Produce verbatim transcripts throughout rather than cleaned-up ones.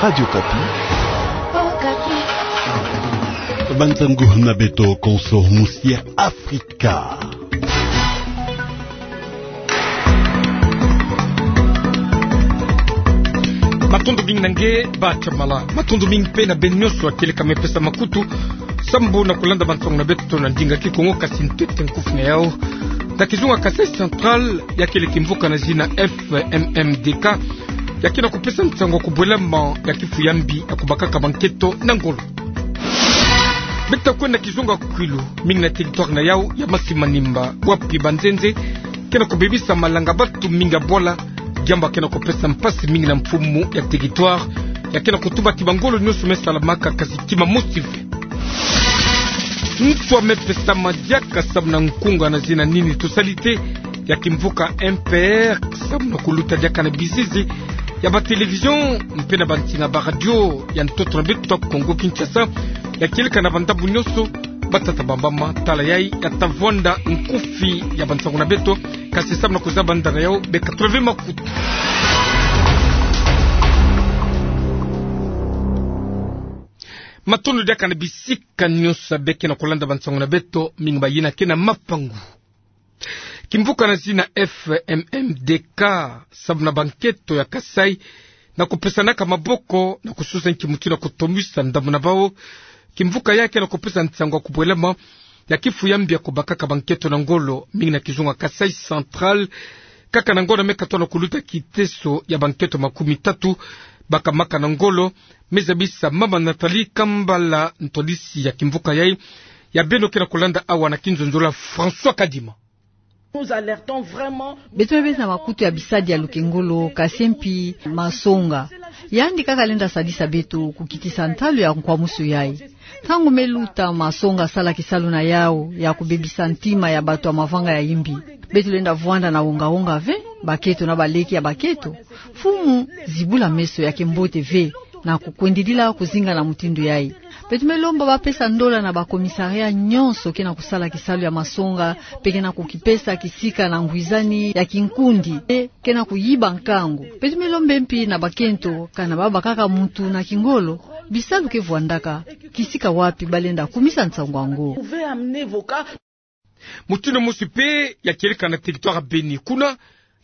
Radio Okapi. Bansangu na beto konso musi Afrika. Matondo mingi na nge Bachamala. Matondo mingi mpe na beno nyonso ya kieleka me pesa makutu sambu na kulanda bansangu na beto na ndinga Kikongo, kasi ntete nkufi na yau. Na kizunga Kasaï Central, ya kele kimvuka na zina F M M D K ya ke na kupesa nsangu ya kubwelama ya kifu ya mbi ya kubakaka bankento na ngolo. Beto ta kwenda kizunga Kwilu, mingi na territoire na yau ya Masi Manimba, wapi banzenze ke na kubebisa malanga, bantu mingi ya bwala, diambu ya ke na kupesa mpasi mingi na mfumu ya territoire, ya ke na kutuba ti bangolo nyonso me salamaka, kasi kima mosi ve. Nswa me pesama diaka sambu na nkunga na zina Nini tosali te ya kimvuka M P R, sambu na kuluta diaka na bizizi ya ba télévision mpe na bansinga ba radio ya ntoto na beto ya Kongo Kinshasa, ya kieleka na bandambu nyonso. Batata, bamama, tala yai ya ta vwanda nkufi ya bansangu na beto, kasi sambu na kuzaba ndanga yau, beka tula ve makutu. Matondo diaka na bisika nyonso ya be ke na kulanda bansangu na beto, mingi bayina ke na mapangu. Kimvuka na zina F M M D K, sambu na bankento ya Kasaï, na kupesanaka maboko, na kususa nki mutindu na kutomisa ndambu na bau. Kimvuka ya ke na kupesa nsangu ya kubwelama ya kifu ya mbi ya kubakaka bankento na ngolo, mingi na kizunga Kasaï Central. Kaka na ngonda me katono kuluta kiteso ya bankento makumi tatu bakamaka na ngolo, me zabisa mama Nathalie Kambala, ntwadisi ya kimvuka yai, ya beno ke na kulanda awa na kinzonzolo ya François Kadima. Nous alertons vraiment. Beto me bezi na makutu ya bisadi ya lukengolo, kasi mpi masonga. Yandi kaka lenda sadisa beto kukitisa ntalu ya nkwamusu yai. Ntangu me luta masonga sala kisalu na yau ya kubebisa ntima ya bato ya mavanga ya imbi, beto lenda vwanda na wonga-wonga ve, baketo na baleki ya baketo. Mfumu, zibula meso, ya ke mbote ve na kukwendidila kuzinga na mutindu yai. Beto me lomba bapesa ndola na ba commissariat nyonso ke na kusala kisalu ya masonga, mpe ke na kukipesa kisika na ngwizani ya kinkundi, mpe ke na kuyiba nkangu. Beto me lomba mpi na bakento, kana babakaka mutu na kingolo, bisalu ke vwandaka, kisika wapi balenda kumisa nsangu yango. Mutindu mosi mpe ya kieleka na territoire ya Beni. Kuna,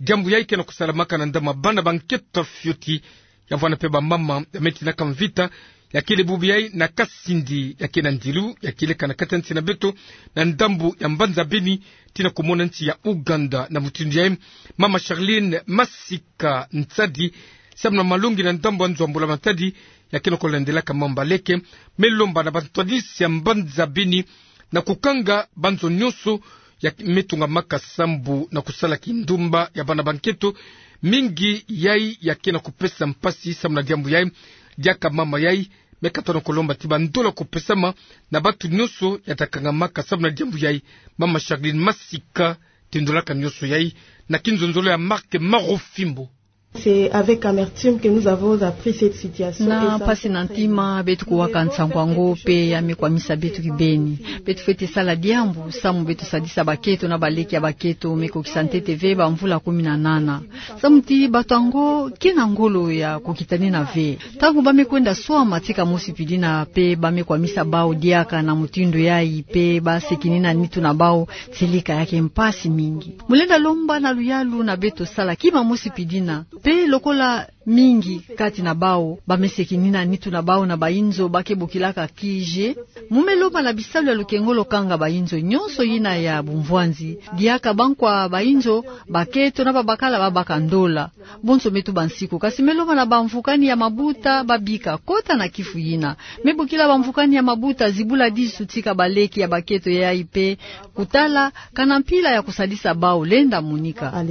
diambu yai ke na kusalamaka na ndambu ya bana bankento fioti, ya vwanda mpe bamama, ya me tinaka mvita, ya kele bubu yai na Kasindi, ya ke na ndilu ya kieleka na kati ya nsi na beto, na ndambu ya mbanza Beni, tii na kumona nsi ya Ouganda. Na mutindu yai, mama Charlene Masika Nsadi, sambu na malongi na ndambu ya nzo ya Mbula Matadi, ya ke na kulandelaka mambu ya leke, me lomba na bantwadisi ya mbanza Beni na kukanga banzo nyonso ya me tungamaka sambu na kusala kindumba ya bana bankento. Mingi yai ya ke na kupesa mpasi sambu na diambu yai. Diaka mama yai me katono kulomba ti bandola kupesama na bantu nyonso ya ta kangamaka sambu na diambu yai. Mama Charlene Masika tindolaka nyonso yai na kinzonzolo ya Marc Marofimbo. C'est avec amertume que nous avons appris cette situation. Na mpasi na ntima beto kuwaka nsangu yango, mpe ya me kwamisa beto kibeni. Beto fwete sala diambu, sambu beto sadisa baketo na baleki ya baketo me kokisa ntete ve bamvula kumi na nana. Samu ti bato yango ke na ngolo ya kokitanina ve. Ntangu ba me kwenda swama tika mosi mpidina, mpe ba me kwamisa bau diaka na mutindu yai, mpe ba sekinina nitu na bau, tieleka ya ke mpasi mingi. Mu lenda lomba na luyalu na beto sala kima mosi mpidina. Mpe lokola mingi kati na bau ba me sekinina nitu na bau na bainzo ba ke bokilaka kije, mu me lomba na bisalu ya lukengolo kanga bainzo nyonso yina ya bumvwanzi, diaka bankwa bainzo, baketo na babakala babaka ndola. Bonso me tuba nsiku, kasi me lomba na bamvukani ya mabuta ba bika kota na kifu yina. Me bokila bamvukani ya mabuta zibula disu tika baleki ya baketo yai mpe kutala kana mpila ya kusadisa bau lenda monika.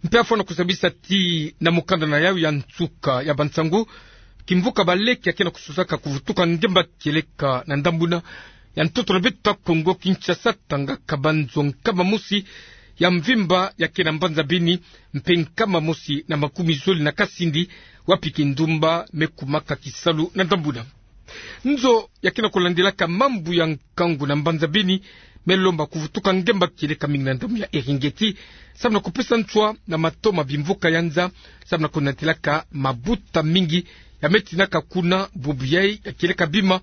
Mpe afwana kusabisa ti na mukanda na yau ya nsuka ya bansangu, kimvuka baleki ya ke na kususaka kuvutuka ngemba kieleka na ndambu yina ya ntoto na beto ya Kongo Kinshasa, tangaka banzo nkama mosi ya mvimba ya ke na mbanza Beni, mpe nkama mosi na makumi zole na Kasindi, wapi kindumba me kumaka kisalu na ndambu yina. Nzo ya ke na kulandelaka mambu ya nkangu na mbanza Beni me lomba kuvutuka ngemba kieleka mingi na ndambu ya Eringeti, samu na kupesa nswa na mato ma bimvuka ya nza, samu na kunatilaka mabuta mingi ya me tinaka kuna bubu yai ya kieleka bima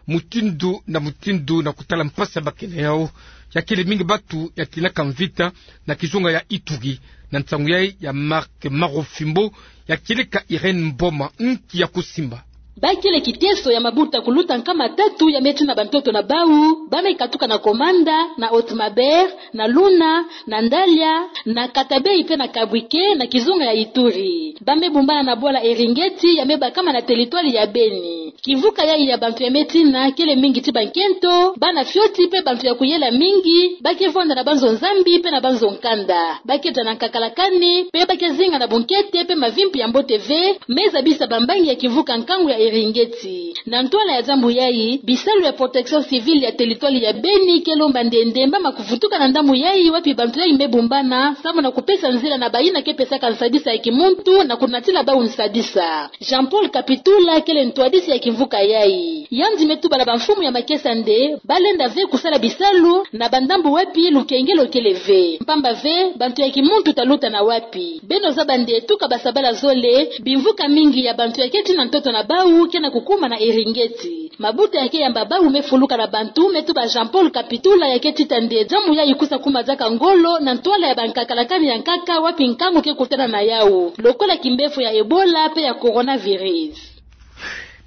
mutindu na mutindu na kutala mpasi ya bakene yau. Ya kele mingi batu ya tinaka mvita na kizunga ya Ituri. Na nsangu yai ya Marc Marofimbo, ya kieleka Irène Mboma nki ya kusimba. Ba kele kiteso ya mabuta kuluta nkama tatu ya me tina bantoto na bau, ba me katuka na Komanda, na Haute-Maubert, na Luna, na Ndalia, na Katabey pe na Kabwike, na kizunga ya Ituri. Ba me bumbana na bwala Eringeti ya me bakama na teritwali ya Beni. Kimvuka yai ya bantu ya me tina kele mingi ti bankento, bana fioti pe bantu ya kuyela mingi, ba ke vwanda na banzo nzambi pe na banzo nkanda. Ba ke dia na nkakalakani, pe ba ke zinga na bunkete pe mavimpi ya mbote ve, me zabisa bambangi ya kimvuka nkangu ya Eringeti. Na ntwala ya diambu yai, bisalu ya protection civile ya teritwali ya Beni ke lomba nde ndemba ma kuvutuka na ndambu yai wapi bantu yai me bumbana, samu na kupesa nzila na bayina ke pesaka nsadisa ya kimuntu na kunatila bau nsadisa. Jean-Paul Kapitula kele ntwadisi ya kimvuka yai. Yandi me tuba na bamfumu ya makesa nde ba lenda ve kusala bisalu na bandambu wapi lukengelo kele ve. Mpamba ve, bantu ya kimuntu ta luta na wapi? Beno zaba nde tuka basabala zole, bimvuka mingi ya bantu ya ke tina ntoto na bau ke na kukuma na Eringeti. Mabuta ya ke yamba bau me fuluka na bantu, me tuba Jean-Paul Kapitula ya ke tita nde diambu yai kusa kuma diaka ngolo na ntwala ya bankakalakani ya nkaka wapi nkangu ke kutana na yau, lokola kimbefo ya Ebola pe ya coronavirus.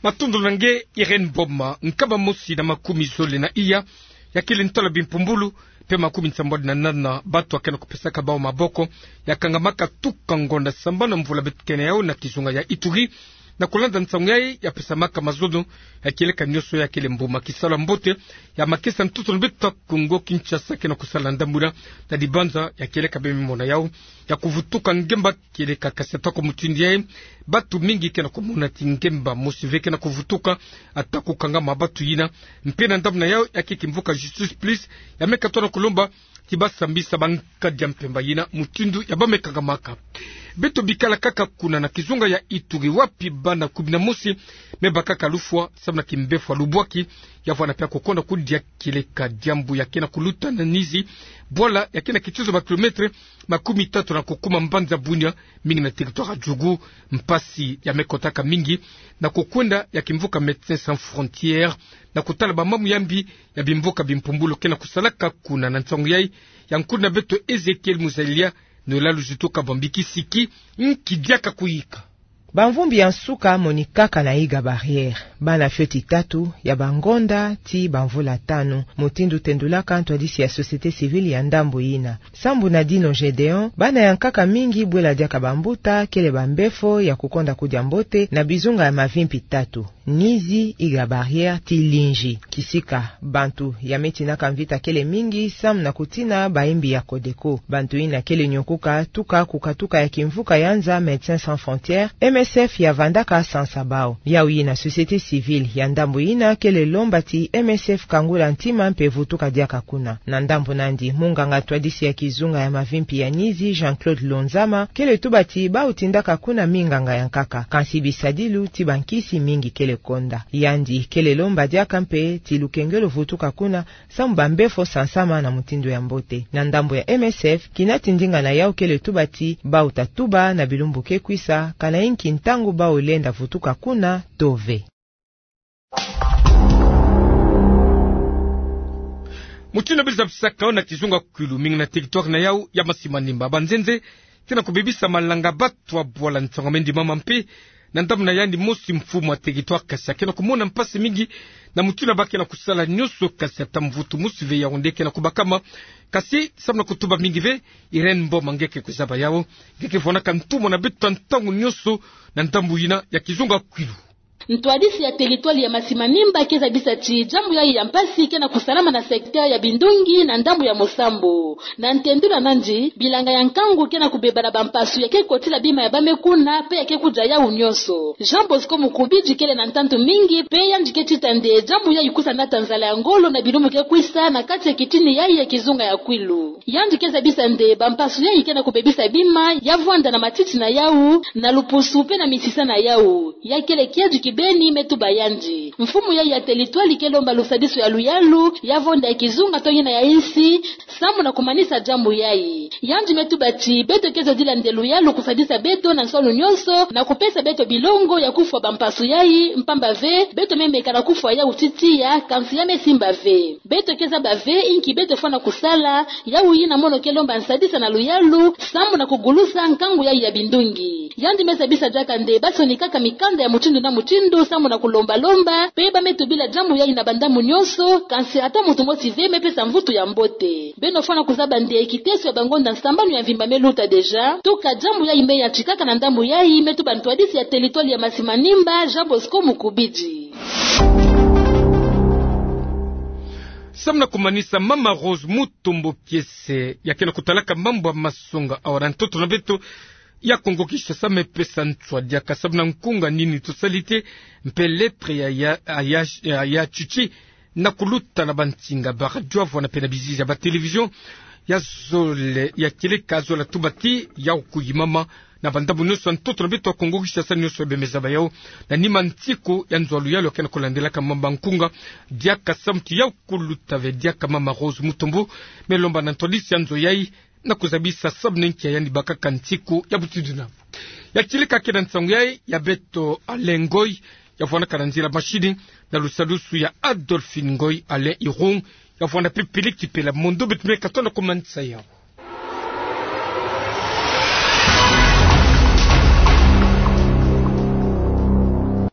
Matondo na nge Irène Mboma. Nkama mosi na makumi zole na iya ya kele ntwala bimpumbulu pe makumi nsambwadi na nana batu ya ke na kupesaka bau maboko ya kangamaka tuka ngonda sambanu mvula beto kena yau na kizunga ya Ituri, na kulanda nsangu yai ya pesamaka mazono ya kieleka nioso ya kele mbuma kisalu ya mbote ya makesa ntoto na beto Kongo Kinshasa ke na kusala ndambu yina na dibanza ya kieleka bemimona yau ya kuvutuka ngemba kieleka. Kasi atako mutindu yai, batu mingi ke na kumona ti ngemba mosi ve ke na kuvutuka, ata kukangama batu yina. Mpe na ndambu na yau ya ke kimvuka Justice Plus ya me katuka na kulomba ti ba sambisa bankadi ya mpemba yina mutindu ya ba me kangamaka. Beto bikala kaka kuna na kizunga ya Ituri wapi bana kumi na mosi me bakaka lufwa samu na kimbefo ya lubwaki, ya vwanda pia kukonda kudia kieleka diambu ya ke na kuluta na Nizi, bwala ya ke na kitizo ba kilometre makumi tatu na kukuma mbanza Bunia, mingi na territoire ya Djugu. Mpasi ya me kotaka mingi na kukwenda ya kimvuka Médecins Sans Frontières na kutala bamamu ya mbi ya bimvuka bimpumbulu ke na kusalaka kuna. Na nsangu yai ya nkulu na beto Ezekiel Muzalia, Noëlla Luzi Tuka Bambiki Siki, nki diaka kuyika. Bamvumbi ya nsuka monikaka na Iga Barrière. Bana fioti tatu ya bangonda ti bamvula tanu, mutindu tendulaka ntwadisi ya société civile ya ndambu yina. Sambu na Dino Gédéon, bana ya nkaka mingi bwela diaka bambuta kele bambefo ya kukonda kudia mbote na bizunga ya mavimpi tatu: Nizi, Iga Barrière ti Linji. Kisika, bantu ya me tinaka mvita kele mingi samu na kutina bayimbi ya Codeco. Bantu yina kele nyokuka tuka kukatuka ya kimvuka ya nza Médecins Sans Frontières, M S F ya vandaka sansa bau. Yau yina société civile ya ndambu yina kele lomba ti M S F kangula ntima mpe vutuka diaka kuna. Na ndambu nandi, munganga ntwadisi ya kizunga ya mavimpi ya Nizi, Jean-Claude Lonzama, kele tuba ti bau tindaka kuna minganga ya nkaka, kansi bisadilu ti bankisi mingi kele konda. Yandi kele lomba diaka mpe ti lukengelo vutuka kuna, samu bambefo sansama na mutindu ya mbote. Na ndambu ya M S F, kina ti ndinga na yau kele tuba ti bau ta tuba na bilumbu ke kwisa kana inki ntangu bau lenda vutuka kuna to ve. Mutindu biza bisaka na kizunga Kwilu, mingi na territoire na yau ya Masimanimba, banzenze ke na kubebisa malanga, batu ya bwala nsangu ya me ndimama mpe na ndambu na yandi mosi mfumu ya territoire, kasi ke na kumona mpasi mingi na mutindu ba ke na kusala nioso, kasi ata mvutu mosi ve yau nde ke na kubakama. Kasi samu na kutuba mingi ve, Irène Mboma, nge ke kuzaba yau, nge ke vwanaka ntumwa na beto ntangu nioso na ndambu yina ya kizunga Kwilu. Ntwadisi ya territoire ya Masimanimba ke zabisa ti diambu yai ya mpasi ke na kusalama na secteur ya Bindungi na ndambu ya Mosambo. Na ntendula nandi, bilanga ya nkangu ke na kubeba na bampasu ya ke kotila bima ya ba me kuna mpe ya ke kudia yau nioso. Jean Bosco Mukubidi kele na ntantu mingi mpe yandi ke tita nde diambu yai kusa nata nzala ya ngolo na bilumbu ke kwisa na kati ya kitini yai ya kizunga ya Kwilu. Yandi ke zabisa nde bampasu yai ke na kubebisa bima ya vwanda na matiti na yau, na lupusu mpe na misisa na yau. Ya kele kiadi ki Beni me tuba yandi. Mfumu yayi ya teritwali ke lomba lusadisu ya luyalu, ya vonda ya kizunga to yina ya insi, samu na kumanisa diambu yayi. Yandi me tuba ti beto ke zodila nde luyalu kusadisa beto na nswalu nyonso, na kupesa beto bilongo ya kufwa bampasu yayi, mpamba ve, beto me meka na kufwa yawu ti tiya, kansi ya me simba ve. Beto ke zaba ve inki beto fwana kusala, yawu yina mono ke lomba nsadisa na luyalu, samu na kugulusa nkangu yayi ya bindungi. Yandi me zabisa diaka nde basonikaka mikanda ya mutindu na mutindu samu na kulomba-lomba, pe ba me tubila diambu yayi na bandambu nyonso, kansi ata muntu mosi ve me pesa mvutu ya mbote. Beno fwana kuzaba nde kiteso ya bangonda nsambanu ya mvimba me luta deja, tuka diambu yayi me yantikaka na ndambu yayi, me tuba ntwadisi ya teritwali ya Masi Manimba, Jean Bosco Mukubidi. Samu na kumanisa, Mama Rose Mutombo Kiese, ya ke na kutalaka mambu ya masonga awa na ntoto na beto ya Kongo Kinshasa, me pesa nswa diaka samu na nkunga nini tosalite, mpe lettre ya, ya, ya, ya, ya tchitchi, na kuluta na bansinga ba radio, avwanda mpe na bizizi ya ba télévision, ya zole, ya kieleka zola tuba ti yawu kuyimama na bandambu nyonso ya ntoto na beto ya Kongo Kinshasa, nyonso ya bemeza ba yawu. Na nima nsiku ya nzo ya luyalu ya ke na kulandelaka mamba nkunga, diaka samu ti yawu kuluta ve diaka Mama Rose Mutombo, me lomba na ntwadisi ya nzo yayi, na kuzabisa samu na nki ya yandi bakaka nsiku ya buti dina. Ya kieleka ke na nsangu yayi, ya beto Alain Ngoy, ya vwandaka na nzila mashini, na lusadisu ya Adolphine Ngoy, Alain Irung, ya vwanda mpe Peleki Pela Mondo, beto me katonda kumanisa yawu.